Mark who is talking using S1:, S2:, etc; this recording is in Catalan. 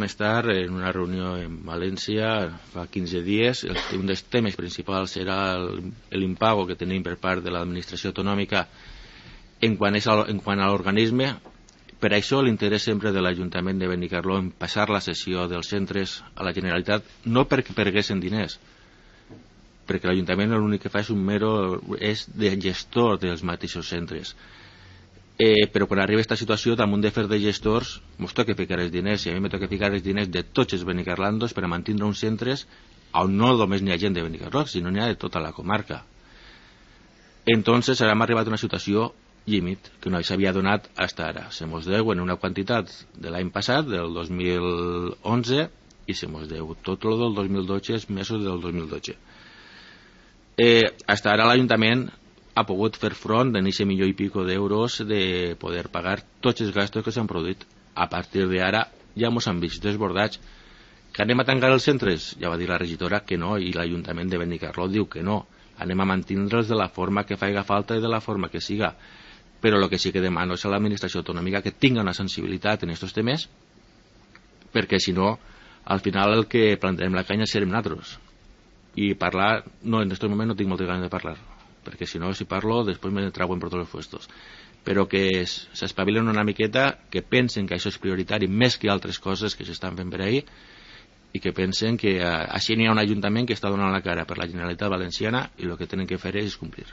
S1: Vam estar en una reunió en València fa 15 dies. Un dels temes principals era l'impago que tenim per part de l'administració autonòmica en quant a l'organisme. Per això l'interès sempre de l'Ajuntament de Benicarló en passar la cessió dels centres a la Generalitat, no perquè perguessin diners, perquè l'Ajuntament l'únic que fa és de gestor dels mateixos centres. Però quan arriba aquesta situació, damunt de fer de gestors, ens toca ficar els diners, i a mi me toca ficar els diners de tots els benicarlandos per a mantenir uns centres on no només n'hi ha gent de Benicarló, sinó n'hi ha de tota la comarca. Entonces hem arribat a una situació límit que no s'havia donat fins ara. Se mos deu en una quantitat de l'any passat, del 2011, i se mos deu tot el del 2012, els mesos del 2012. Fins ara l'Ajuntament ha pogut fer front en aquest milió i pico d'euros de poder pagar tots els gastos que s'han produït. A partir d'ara ja ens han vist desbordats. Que anem a tancar els centres? Ja va dir la regidora que no, i l'Ajuntament de Benicarló diu que no. Anem a mantindre'ls de la forma que faiga falta i de la forma que siga. Però el que sí que demano és a l'administració autonòmica que tinga una sensibilitat en aquests temes, perquè si no, al final el que plantarem la canya serem nosaltres. I parlar, no, en aquest moment no tinc moltes ganes de parlar, perquè si no, si parlo, després me trauen per tots els puestos. Però que s'espavilen una miqueta, que pensen que això és prioritari més que altres coses que s'estan fent per ahir, i que pensen que així n'hi ha un ajuntament que està donant la cara per la Generalitat Valenciana i el que tenen que fer és complir.